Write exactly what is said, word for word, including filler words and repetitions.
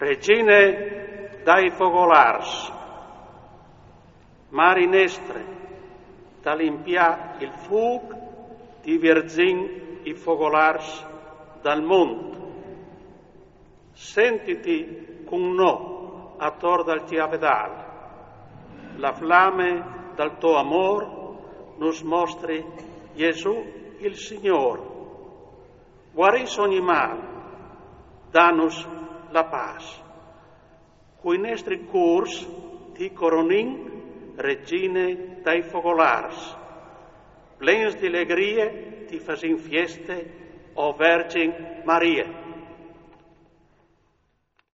Regine dai fogolars, Mari nestre, da limpiar il fûc, divergint i fogolars dal mont. Sentiti cun nô ator dal tiavedal. La flame dal to amor nus mostri Jesù il Signor. Guarìs ogni mal, danus la pâs. Cui nestri cûrs ti coronìn, Regine dai fogolars. Plens di legrie ti fasìn fieste, o Vergin Marie.